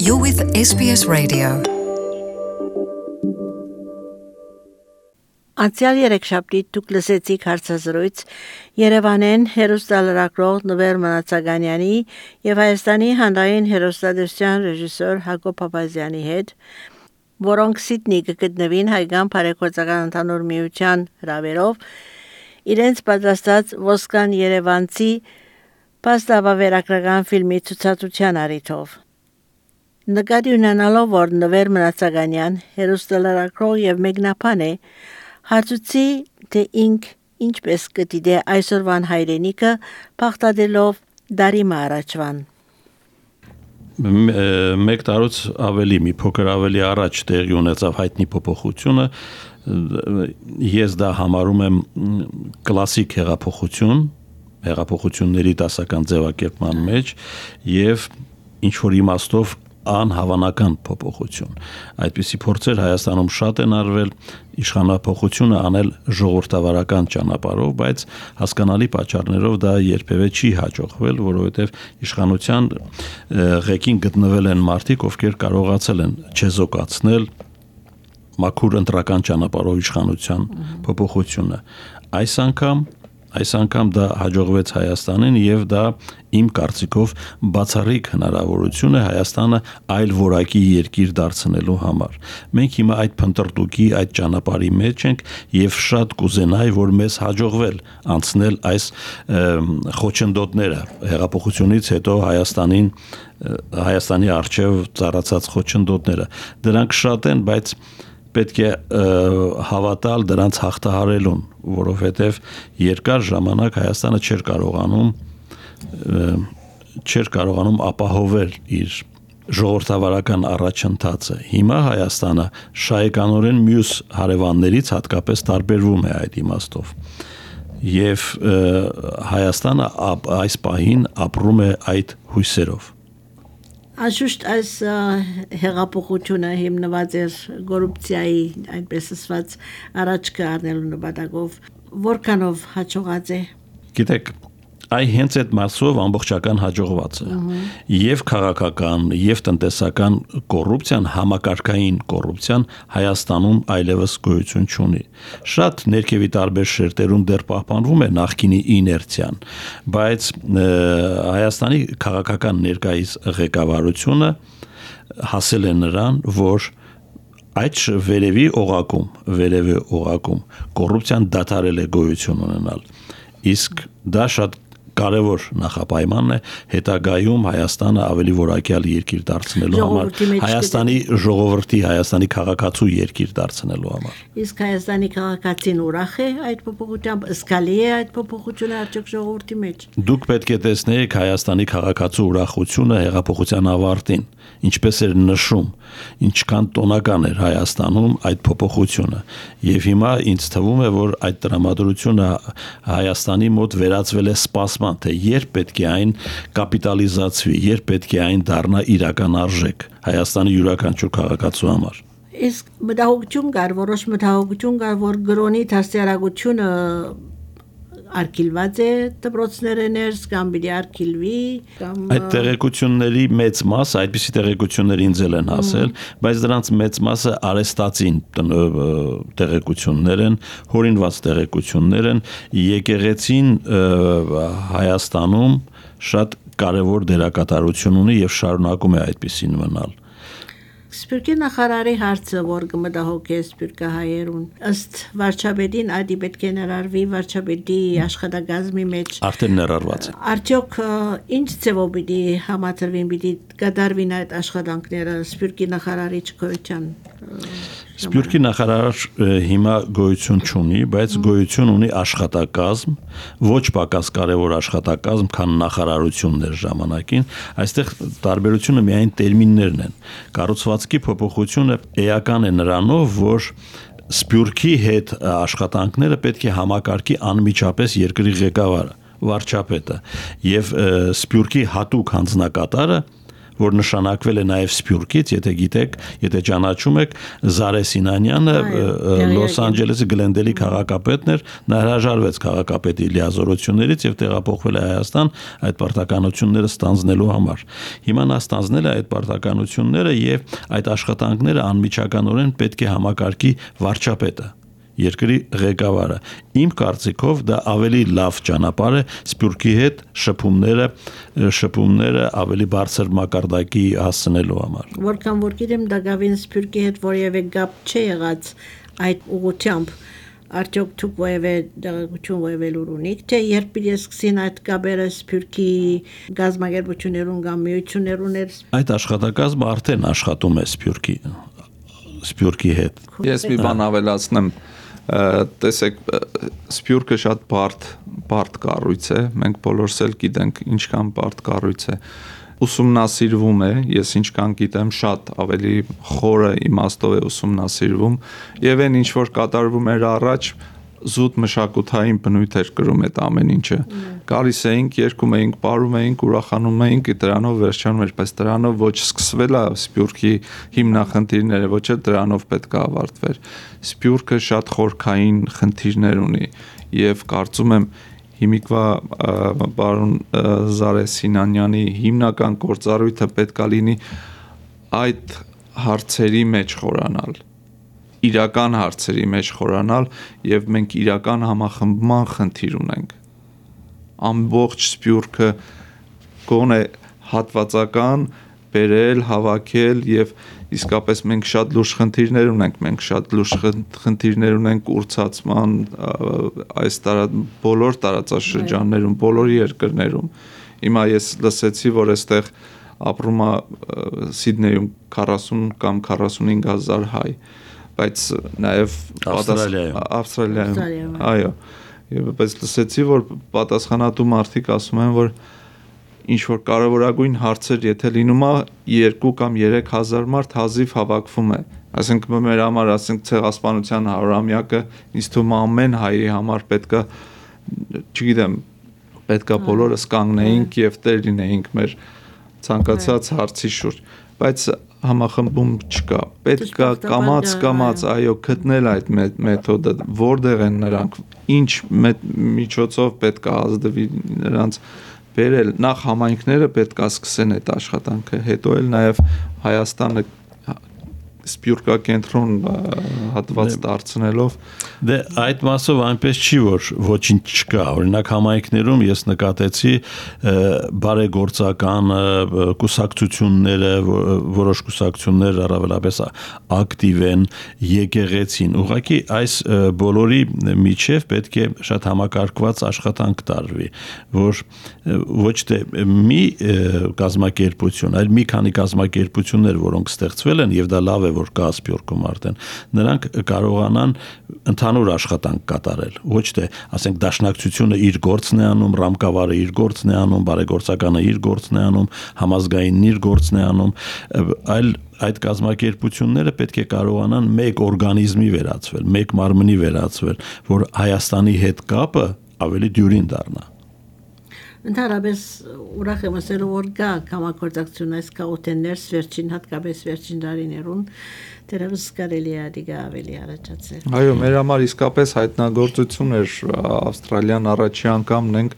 You're with SBS Radio. Անցյալ երեքշաբթի դուք լսեցիք հարցազրույց Երևանեն հերոստալարակրող Նվեր Մանացականյանի եւ Հայաստանի հանրային հերոստատեսության ռեժիսոր Հակոբ Փափազյանի հետ, որոնք Սիդնեի գտնվին հայկական բարեգործական ընդհանուր միության հրավերով իրենց պատրաստած Ոսկան Երևանցի փաստավավերագրական ֆիլմի ցուցադրության առիթով։ Նկատի ունենալով, որ Նվեր Մանացականյան հերոստալարակրող եւ մեկնաբան է, հարցուցի, թե ինք ինչպես կդիտե այսօրվան հայրենիքը բախտadելով դարի առաջվան։ Մեկ տարուց ավելի մի փոքր ավելի առաջ տեղի ունեցավ հայտնի փոփոխությունը, ես դա համարում եմ կլասիկ հեղափոխությունների դասական ձևակերպման մեջ եւ ինչ որ իմաստով անհավանական փոփոխություն։ Այդպիսի փորձեր Հայաստանում շատ են արվել, իշխանափոխությունը անել ժողովրդավարական ճանապարհով, բայց հասկանալի պատճառներով դա երբևէ չի հաջողվել, որովհետև իշխանության ղեկին գտնվել են մարդիկ, ովքեր կարողացել են չեզոքացնել մաքուր ընտրական ճանապարհով իշխանության փոփոխությունը։ Այս անգամ դա հաջողվեց Հայաստանին եւ դա իմ կարծիքով բացառիկ հնարավորություն է Հայաստանը այլ որակի երկիր դարձնելու համար։ Մենք հիմա այդ փնտրտուքի, այդ ճանապարհի մեջ ենք եւ շատ կուզենայի, որ մեզ հաջողվել անցնել այս խոչընդոտները հեղափոխությունից հետո Հայաստանի արչեւ ծառացած խոչընդոտները։ Դրանք շատ են, բայց պետք է հավատալ դրանց հաղթահարելուն, որովհետև երկար ժամանակ Հայաստանը չէր կարողանում ապահովել իր ժողովրդավարական առաջընթացը։ Հիմա Հայաստանը շահեկանորեն մյուս հարևաններից հատկապես տարբերվում է այդ իմաստով։ Եվ Հայաստանը այս պահին ապրում է այդ հույսերով։ Անշուշտ այս հեղափոխությունը հիմնված էր կոռուպցիայի, այնպես ասված, առաջ կառնելու նպատակով, որքանով հաջողած է։ Գիտեք, հենց այդ մասով ամբողջական հաջողված է։ Եվ քաղաքական, եւ տնտեսական կոռուպցիան, համակարգային կոռուպցիան Հայաստանում այլևս գոյություն չունի։ Շատ ներքևի տարբեր շերտերում դեռ պահպանվում է նախկինի իներցիան, բայց Հայաստանի քաղաքական ներկայիս ղեկավարությունը հասել է նրան, որ այդ վերևի օղակում կոռուպցիան դադարել է գոյություն ունենալ։ Իսկ դա շատ կարևոր նախապայմանն է հետագայում Հայաստանը ավելի որակյալ երկիր դարձնելու համար, Հայաստանի ժողովրդի, Հայաստանի քաղաքացու երկիր դարձնելու համար։ Իսկ Հայաստանի քաղաքացին ուրախ է այդ փոփոխությամբ, զգալի է այդ փոփոխությունը արդյոք ժողովրդի մեջ։ Դուք պետք է տեսնեիք Հայաստանի քաղաքացու ուրախությունը հեղափոխության ավարտին, ինչպես էր նշում, ինչքան տոնական էր Հայաստանում այդ փոփոխությունը։ Եվ հիմա ինձ թվում է, որ այդ տրամադրությունը Հայաստանի մոտ վերածվել է սպասման, թե երբ պետք է այն կապիտալիզացվի, երբ պետք է այն դառնա իրական արժեք Հայաստանի յուրաքանչյուր քաղաքացու համար։ Իսկ մտահոգություն կար, որոշ մտահոգություն կար, որ գրոնի դաստիարակությունը արկիլված է դպրոցները ներս կամ պիտի արկիլվի կամ այդ տեղեկությունների մեծ մասը, այդպիսի տեղեկություններ ինձ են հասել, բայց դրանց մեծ մասը արեստացին տեղեկություններ են, հորինված տեղեկություններ են, եկեղեցին Հայաստանում շատ կարևոր դերակատարություն ունի եւ շարունակում է այդպիսին մնալ։ Սպիրկի նախարարի հարցը, որ կմտահոգի սպիրկահայերուն, ըստ վարչապետին այդ պետք է ներառվի վարչապետի աշխատակազմի մեջ։ Արդեն ներառված է։ Արդյոք ինչ ձևով պիտի համաձայնվին, պիտի կատարվին այդ աշխատանքները սպիրկի նախարարի չգոյության։ Սպիրկի նախարար հիմա գոյություն չունի, բայց գոյություն ունի աշխատակազմ, ոչ պակաս կարևոր աշխատակազմ, քան նախարարություններ ժամանակին։ Այստեղ տարբերությունը միայն տերմիններն են։ Կառուցվածքի փոփոխությունը էական է նրանով, որ Սպիրկի հետ աշխատանքները պետք է համակարգի անմիջապես երկրի ղեկավարը, վարչապետը, եւ Սպիրկի հատուկ հանձնակատարը, որ նշանակվել է նաև Սփյուռքից, եթե ճանաչում եք, Զարե Սինանյանը Լոս Անջելեսի Գլենդելի քաղաքապետն էր, նա հրաժարվեց քաղաքապետի լիազորություններից եւ տեղափոխվել է Հայաստան այդ պարտականությունները ստանձնելու համար։ Հիմա նա ստանձնել է այդ պարտականությունները եւ այդ աշխատանքները անմիջականորեն պետք է համակարգի վարչապետը, երկրի ղեկավարը։ Իմ կարծիքով դա ավելի լավ ճանապարհ է Սփյուռքի հետ շփումները ավելի բարձր մակարդակի հասցնելու համար։ Որքան որ գիտեմ, դա գավին Սփյուռքի հետ որևէ գապ չի եղած այդ ուղղությամբ։ Արդյոք դուք որևէ դեղեցություն որևէ լուր ունիք, թե երբ սկսին այդ գաբերը Սփյուռքի գազագերբություններուն կամ միություններուն այդ աշխատակազմը արդեն աշխատում է Սփյուռքի հետ։ Ես մի բան ավելացնեմ, տեսեք, Սփյուռքը շատ բարդ կառույց է, մենք բոլորս էլ գիտենք ինչքան բարդ կառույց է, ուսումնասիրվում է, ես ինչքան գիտեմ շատ ավելի խորը իմաստով է ուսումնասիրվում եւ այն ինչ որ կատարվում էր առաջ զուտ մշակութային բնույթ էր կրում այդ ամեն ինչը։ Գալիս էինք, երկում էինք, ապարում էինք, ուրախանում էինք, դրանով վերջանում էր, բայց դրանով ոչ սկսվել է Սփյուռքի հիմնախնդիրները, ոչ էլ դրանով պետք է ավարտվեր։ Սփյուռքը շատ խորքային խնդիրներ ունի եւ կարծում եմ հիմիկվա պարոն Զարե Սինանյանի հիմնական գործառույթը պետք է լինի այդ հարցերի մեջ խորանալ, իրական հարցերի մեջ խորանալ եւ մենք իրական համախմբման խնդիր ունենք։ Ամբողջ Սփյուռքը գոնե հատվածական բերել, հավաքել եւ իսկապես մենք շատ լուրջ խնդիրներ ունենք, մենք շատ լուրջ խնդիրներ ունենք ուրցացման այս բոլոր տարածաշրջաններում, բոլոր երկրներում։ Հիմա ես լսեցի, որ այստեղ ապրում է Սիդնեյում 40 կամ 45,000 հայ, բայց նաև Ավստրալիայում, այո, բայց լսեցի, որ պատասխանատու մարդիկ ասում են, որ ինչ որ կարևորագույն հարցեր, եթե լինում է 2 կամ 3,000 մարդ հազիվ հավաքվում է, այսինքն մեր համար, ասենք ցեղասպանության 100-ամյակը, ինձ թվում է ամեն հայի համար պետքա, չգիտեմ, պետքա բոլորս կանգնեինք եւ տեր լինեինք մեր ցանկացած հարցի շուրջ, բայց համախմբում չկա, պետք է կամաց, այո, գտնել այդ մեթոդը, որտեղ են նրանք, ինչ միջոցով պետք է ազդվի նրանց բերել, նախ համայնքները պետք է սկսեն այդ աշխատանքը, հետո էլ նաև Հայաստանը Սփյուռքակենտրոն հատված դարձնելով։ Դե այդ մասով այնպես չի, որ ոչինչ չկա, օրինակ համայնքներում ես նկատեցի բարեգործական կուսակցությունները, որոշ կուսակցություններ առավելապես ակտիվ են, եկեղեցին, ուղղակի այս բոլորի միջև պետք է շատ համակարգված աշխատանք տարվի, որ ոչ թե մի կազմակերպություն, այլ մի քանի կազմակերպություններ, որոնք ստեղծվել են եւ դա լավ է, որ կա Սփյուռքում արդեն, նրանք կարողանան ընդհանուր աշխատանք կատարել, ոչ թե, ասենք, դաշնակցությունը իր գործն է անում, ռամկավարը իր գործն է անում, բարեգործականը իր գործն է անում, համազգայինն իր գործն է անում, այլ այդ կազմակերպությունները պետք է կարողանան մեկ օրգանիզմի վերածվել, մեկ մարմնի վերածվել, որ Հայաստանի հետ կապը ավելի դյուրին դառնա։ Ընդհանրապես ուրախ եմ ասելու, որ կա համագործակցություն այս կաուտեններս վերջին, հատկապես վերջին տարիներուն, դեռևս կարելի է դիգա ավելի առաջացել։ Այո, մեր համար իսկապես հայտնագործություն էր Ավստրալիան առաջի անգամն ենք,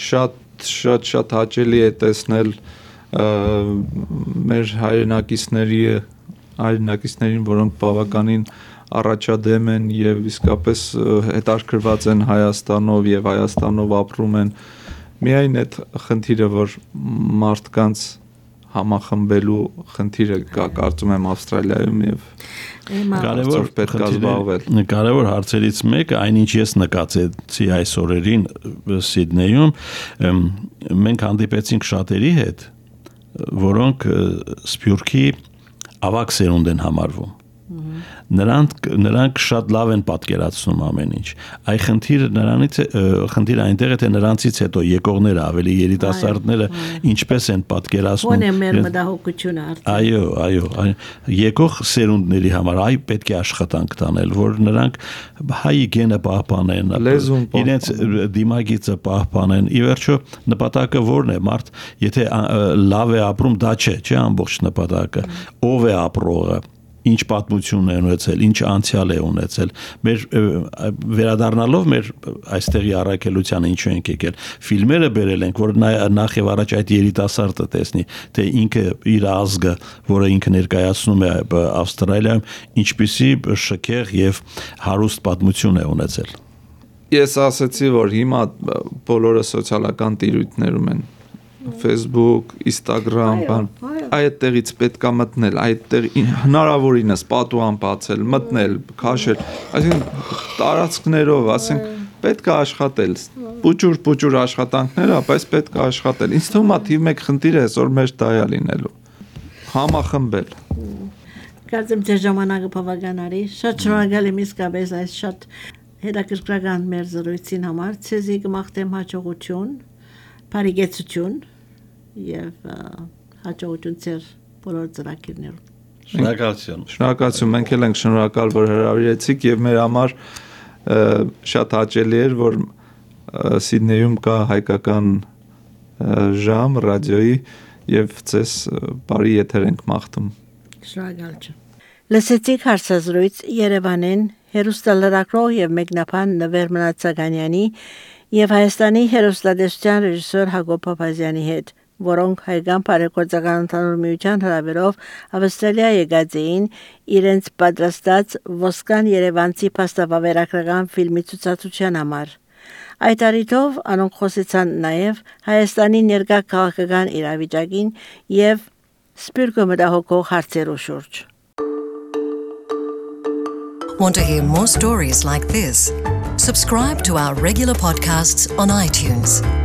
շատ հաճելի է տեսնել մեր հայրենակիցներին, որոնք բավականին առաջադեմ են եւ իսկապես հետաքրքրված են Հայաստանով եւ Հայաստանով ապրում են։ Միայն այդ խնդիրը, որ մարդկանց համախմբելու խնդիրը կա, կարծում եմ Ավստրալիայում եւ կարևոր պետք է զբաղվել։ Կարևոր հարցերից մեկը, այնինչ ես նկատեցի այս օրերին Սիդնեյում, մենք հանդիպեցինք շատերի հետ, որոնք Սփյուռքի ավագ սերունդ են համարվում։ նրանք շատ լավ են պատկերացնում ամեն ինչ։ Այ խնդիրը այնտեղ է, թե նրանցից հետո եկողները, ավելի երիտասարդները ինչպես են պատկերացնում։ Ո՞ն է մեր մտահոգությունը արդեն։ Այո, եկող սերունդների համար այ պետք է աշխատանք տանել, որ նրանք հայի գենը պահպանեն, իրենց դիմագիծը պահպանեն։ Ի վերջո նպատակը ո՞րն է, մարդ, եթե լավ է ապրում, դա չէ ամբողջ նպատակը։ Ով է ապրողը, ինչ պատմություն է ունեցել, ինչ անցյալ է ունեցել։ Մեր վերադառնալով մեր այստեղի առաքելությանը ինչու ենք եկել։ Ֆիլմերը բերել ենք, որ նախ եւ առաջ այդ երիտասարդը տեսնի, թե ինքը իր ազգը, որը ինքը ներկայացնում է Ավստրալիայում, ինչպիսի շքեղ եւ հարուստ պատմություն է ունեցել։ Ես ասացի, որ հիմա բոլորը սոցիալական տիրույթներում են։ Facebook, Instagram, այդտեղից պետքա մտնել, այդտեղ հնարավորինս պատուհան բացել, մտնել, քաշել, այսինքն տարածքներով, ասենք պետքա աշխատել, փուճուր աշխատանքներ, բայց պետքա աշխատել։ Ինձ թվում է թիվ 1 խնդիրը այսօր մեր դայա լինելու։ Համախմբել։ Կարծեմ թե ժամանակը բավական արի։ Շատ շնորհակալ եմ իսկապես այս շատ հետաքրքրական մեր զրույցին համար։ Ցեզի կմաղթեմ հաջողություն, բարեկեցություն եւ հաջողություն ձեր բոլոր ծրագրերում։ Շնորհակալություն։ Մենք էլ ենք շնորհակալ, որ հրավիրեցիք եւ մեր համար շատ հաճելի էր, որ Սիդնեյում կա հայկական ժամ ռադիոյի եւ ցես բարի եթեր ենք մաղթում։ Շնորհակալություն։ Լսեցիք հարցազրույց Երևանեն հերոստալարակրող եւ մեկնաբան Նվեր Մնացականյանի եւ Հայաստանի հերոստատեսության ռեժիսոր Հակոբ Փափազյանի հետ, որոնք հայկական բարեգործական ընդհանուր միության հրավերով Ավստրալիա եկած էին իրենց պատրաստած Ոսկան Երևանցի փաստավավերագրական ֆիլմի ցուցադրության համար։ Այդ առիթով անոնք խոսեցան նաև Հայաստանի ներկա քաղաքական իրավիճակին եւ սպիրկը մտահոգող հարցերու շուրջ։ Want to hear more stories like this? Subscribe to our regular podcasts on iTunes.